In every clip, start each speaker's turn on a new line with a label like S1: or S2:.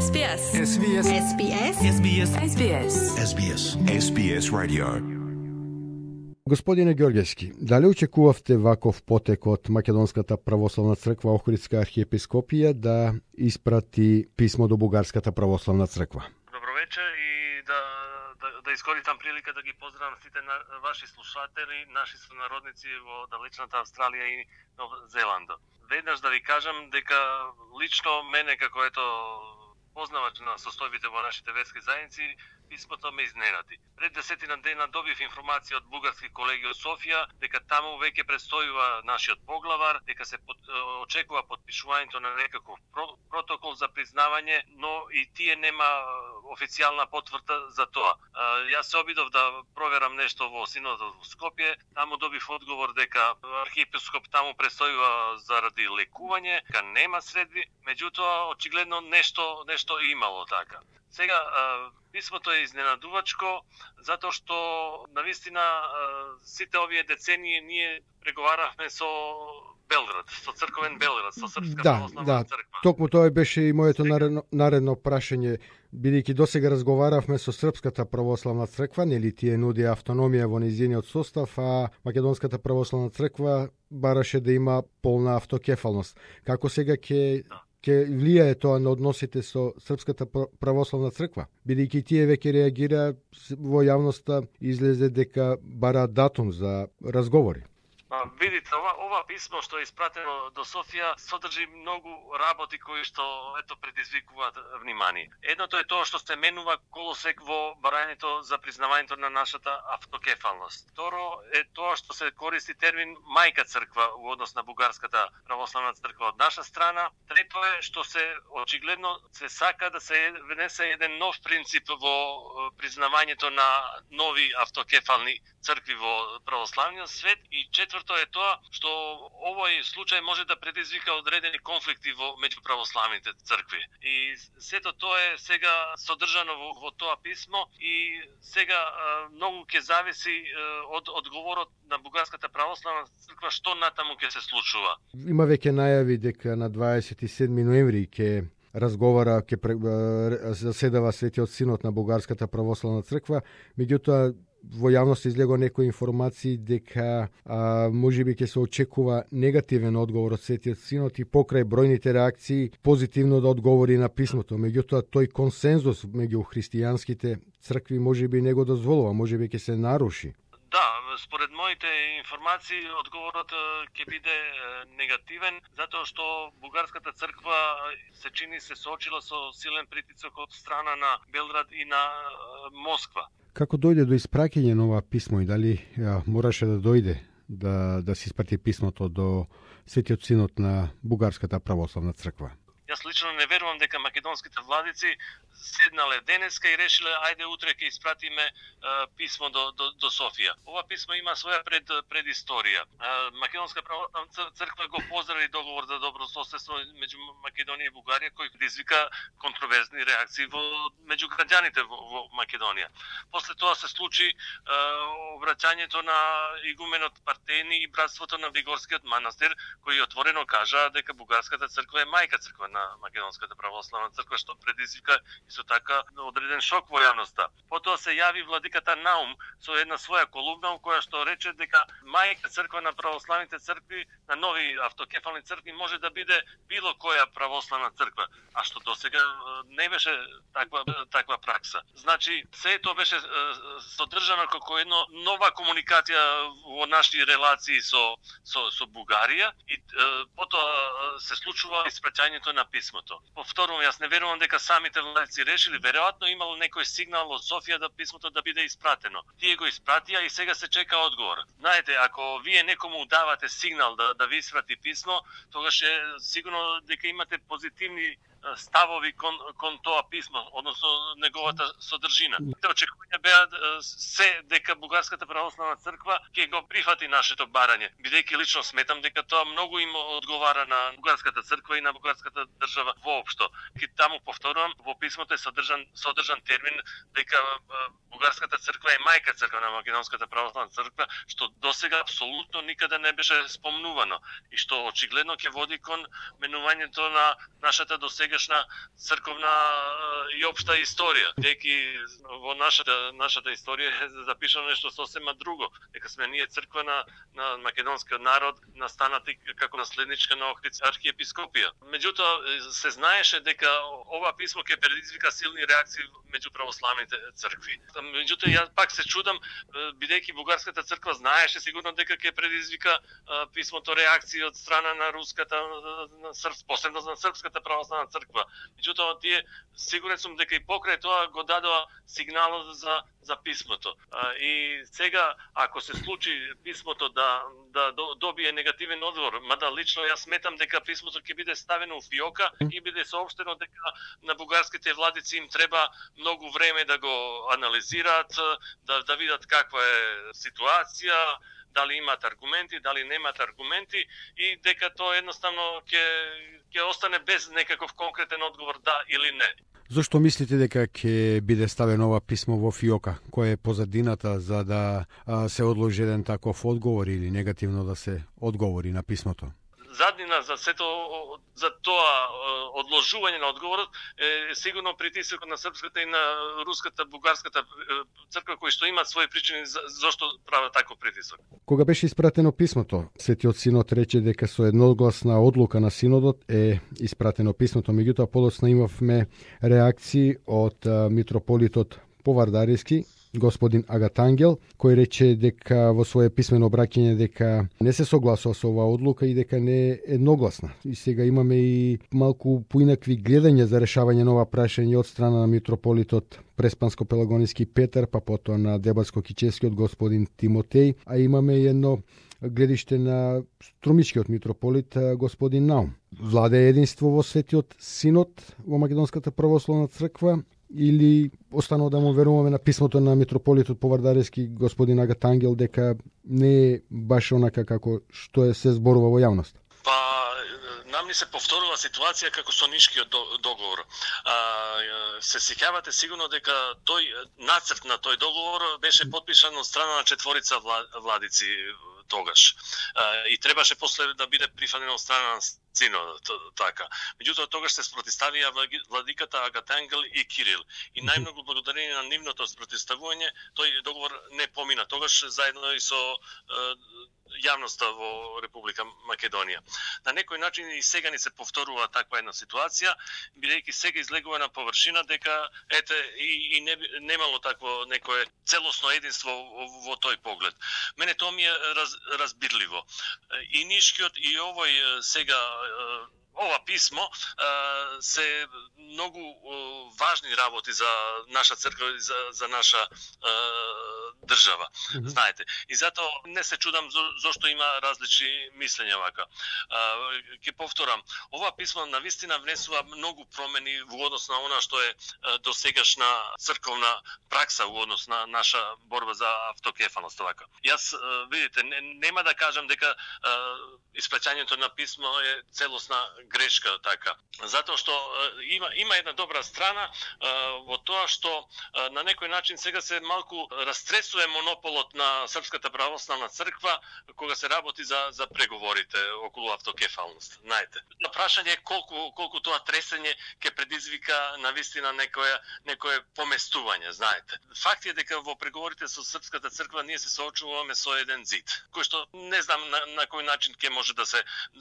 S1: SBS.
S2: SBS.
S1: SBS.
S3: SBS.
S1: SBS.
S2: SBS. SBS Radio.
S4: Господине Ѓорѓевски, дали очекувавте ваков потек од Македонската православна црква Охридска архиепископија да испрати писмо до Бугарската православна црква?
S5: Добро вечер и да искористам прилика да ги поздравам сите ваши слушатели, наши сонародници во далечната Австралија и Нов Зеланд. Веднаш да ви кажам дека лично мене како познавач на состојбите во нашите верски заедници, писмото ме изненади. Пред 10 дена добив информација од бугарски колеги од Софија дека таму веќе предстојува нашиот поглавар, дека се очекува подпишувањето на некаков протокол за признавање, но и тие нема официјална потврда за тоа. Јас се обидов да проверам нешто во Синодот во Скопје, таму добив одговор дека архиепископ таму предстојува заради лекување, дека нема средби, меѓутоа очигледно нешто имало така. Сега, писмото е изненадувачко, затоа што, навистина, сите овие децении ние преговаравме со Белград, со црковен Белград, со Српска православна црква.
S4: Токму тоа беше и моето наредно прашање, бидејќи досега разговаравме со Српската православна црква, нели тие нуди автономија во нејзиниот состав, а Македонската православна црква бараше да има полна автокефалност. Како сега ќе влијае тоа на односите со Српската православна црква? Бидејќи тие веќе реагира во јавноста, излезе дека бара датум за разговори.
S5: Видите, ова писмо што е испратено до Софија содржи многу работи кои што предизвикуваат внимание. Едното е тоа што се менува колосек во барањето за признавањето на нашата автокефалност. Второ е тоа што се користи термин мајка црква во однос на Бугарската православна црква од наша страна. Трето е што се очигледно се сака да се внесе еден нов принцип во признавањето на нови автокефални цркви во православниот свет. И четврто е тоа што овој случај може да предизвика одредени конфликти меѓу православните цркви. И сето тоа е сега содржано во тоа писмо и сега многу ќе зависи од одговорот на Бугарската православна црква што натаму ќе се случува.
S4: Има веќе најави дека на 27 ноември ќе разговара, ќе заседава Светиот синод на Бугарската православна црква, меѓутоа во јавност излего некои информации дека можеби ќе се очекува негативен одговор од Светиот синод и покрај бројните реакции позитивно да одговори на писмото. Меѓутоа тој консензус меѓу христијанските цркви можеби не го дозволува, можеби ќе се наруши.
S5: Да, според моите информации одговорот ќе биде негативен, затоа што Бугарската црква се чини се соочила со силен притисок од страна на Белград и на Москва.
S4: Како дојде до испраќање на ова писмо и дали мораше да дојде да се испрати писмото до Светиот синод на Бугарската православна црква?
S5: Јас лично не верувам дека македонските владици седнале денеска и решиле ајде утре ќе испратиме писмо до Софија. Ова писмо има своја предисторија. Македонска православна црква го поздрави договор за добро соседство меѓу Македонија и Бугарија, кој предизвика контроверзни реакции меѓу граѓаните во Македонија. После тоа се случи обраќањето на игуменот Партени и братството на Вигорскиот манастир, кои отворено кажа дека Бугарската црква е мајка црква на Македонската православна црква, што предизвика исто така одреден шок во јавноста. Потоа се јави владиката Наум со една своја колумна која што рече дека мајка црква на православните цркви, на нови автокефални цркви може да биде било која православна црква, а што досега не беше таква пракса. Значи, се тоа беше содржано како една нова комуникација во наши релации со Бугарија и потоа се случува испраќањето на писмото. Повторувам, јас не верувам дека самите владици решили, веројатно имало некој сигнал од Софија да писмото да биде испратено. Тие го испратија и сега се чека одговор. Знаете, ако вие некому давате сигнал да ви испрати писмо, тогаш е сигурно дека имате позитивни ставови кон тоа писмо, односно неговата содржина. Очекувања беа се дека Бугарската православна црква ќе го прифати нашето барање, бидејќи лично сметам дека тоа многу им одговара на Бугарската црква и на бугарската држава воопшто. И таму повторувам, во писмото е содржан термин дека Бугарската црква е мајка црква на Македонската православна црква, што досега апсолутно никаде не беше спомнувано и што очигледно ќе води кон менувањето на нашата досега досегашна црковна и општа историја. Деки во нашата историја е запишано нешто сосема друго, дека сме ние црква на македонскиот народ, настанати како наследничка на Охридска архиепископија. Меѓутоа се знаеше дека ова писмо ќе предизвика силни реакции меѓу православните цркви. Меѓутоа јас пак се чудам, бидејќи бугарската црква знаеше сигурно дека ќе предизвика писмото реакции од страна на руската, посебно на српската православна црква. Меѓутоа тие сигурен сум дека и покрај тоа го дадоа сигналот за писмото. И сега ако се случи писмото да добие негативен одговор, мада лично јас сметам дека писмото ќе биде ставено у фиока и биде соопштено дека на бугарските владици им треба многу време да го анализираат, да видат каква е ситуација, дали имаат аргументи, дали немаат аргументи и дека тоа едноставно ќе остане без некаков конкретен одговор да или не.
S1: Зошто мислите дека ќе биде ставено ова писмо во фиока? Која е позадината за да се одложи еден таков одговор или негативно да се одговори на писмото?
S5: Заднина за тоа одложување на одговорот е сигурно притисокот на српската и на руската, бугарската црква кои што имаат своји причини зашто прават таков притисок.
S4: Кога беше испратено писмото, Светиот Синод рече дека со едногласна одлука на Синодот е испратено писмото, меѓутоа подоцна имавме реакции од митрополитот Повардариски, господин Агатангел, кој рече дека во свое писмено обраќање дека не се согласува со оваа одлука и дека не е едногласна. И сега имаме и малку поинакви гледања за решавање на ова прашање од страна на митрополитот Преспанско-Пелагониски Петар, па потоа на Дебатско-Кичевскиот господин Тимотеј, а имаме и едно гледиште на струмичкиот митрополит господин Наум. Владе единство во Светиот Синод во Македонската православна црква или останува да му веруваме на писмото на митрополитот Повардариски господин Агатангел дека не е баш онака како што се зборува во јавност?
S5: Нам ни се повторува ситуација како со Нишкиот договор. Се сеќавате сигурно дека тој нацрт на тој договор беше подпишан од страна на четворица владици тогаш. И требаше после да биде прифатен од страна на Синодот, така. Меѓутоа тогаш се спротиставија владиката Агатангел и Кирил. И најмногу благодарение на нивното спротиставување тој договор не помина тогаш заедно и со јавноста во Република Македонија. На некој начин и сега ни се повторува таква една ситуација, бидејќи сега излегува на површина дека и немало такво некое целосно единство во тој поглед. Мене тоа ми е разбирливо. И Нишкиот и овој сега ова писмо се многу важни работи за наша црква и за наша држава, знаете. И затоа не се чудам зошто има различни мислења вака. Ќе повторам, ова писмо навистина внесува многу промени во однос на она што е досегашна црковна пракса во однос на наша борба за автокефалност вака. Јас видите, нема да кажам дека испраќањето на писмо е целосна грешка така. Затоа што има една добра страна во тоа што на некој начин сега се малку растресува монополот на Српската православна црква кога се работи за преговорите околу автокефалност. Знаете, на прашање е колку тоа тресење ќе предизвика навистина некое поместување, знаете. Факт е дека во преговорите со Српската црква ние се соочуваме со еден зид, кој што не знам на кој начин ќе може да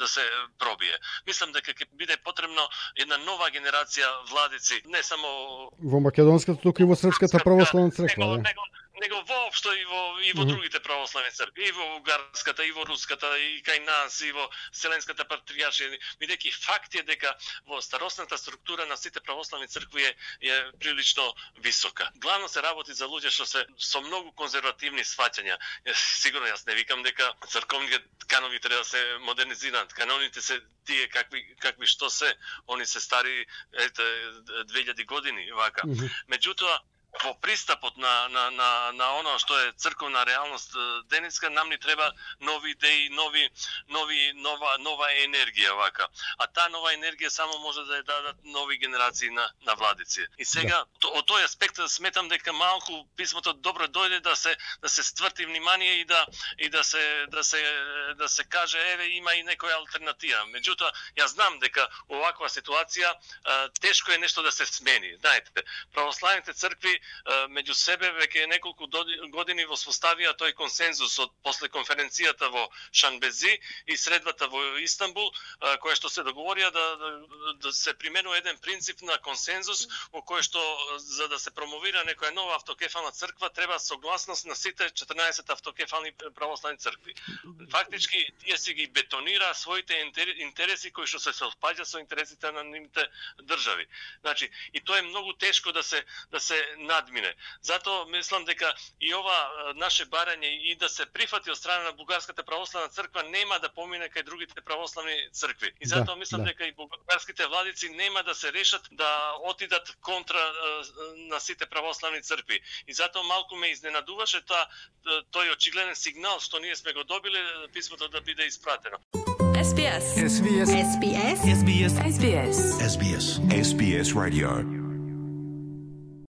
S5: се пробие. Мислам дека ќе биде потребно една нова генерација владици, не само
S4: во македонската, туку и во Српската православна црква,
S5: него воопшто и во другите православни цркви, и во бугарската, и во руската, и кај нас, и во Вселенската патријаршија, бидејќи факт е дека во старосната структура на сите православни цркви е прилично висока. Главно се работи за луѓе што се со многу конзервативни сваќања. Сигурно јас не викам дека црковните канови треба да се модернизираат. Каноните се тие какви што се, они се стари 2000 години вака. Меѓутоа во пристапот на оно што е црковна реалност денеска, нам ни треба нови идеи, нова енергија вака. А таа нова енергија само може да ја дадат нови генерации на владици. И сега од тој аспект сметам дека малку писмото добро дојде да се стврти внимание и да се каже еве има и некоја алтернатива. Меѓутоа ја знам дека оваква ситуација тешко е нешто да се смени. Знаете, православните цркви меѓу себе веќе неколку години воспоставија тој консензус од после конференцијата во Шанбези и средбата во Истанбул, која што се договорија да се применува еден принцип на консензус во кој што за да се промовира некоја нова автокефална црква треба согласност на сите 14 автокефални православни цркви. Фактички тие си ги бетонира своите интереси кои што се совпаѓа со интересите на нивните држави. Значи, и тоа е многу тешко да се надмине. Затоа мислам дека и ова наше барање и да се прифати од страна на Бугарската православна црква нема да помине кај другите православни цркви. И затоа мислам дека и бугарските владици нема да се решат да отидат контра на сите православни цркви. И затоа малку ме изненадуваше тој очигледен сигнал што ние сме го добиле писмото да биде испратено.
S2: SBS. SBS. SBS. SBS. SBS. SBS. SBS Radio.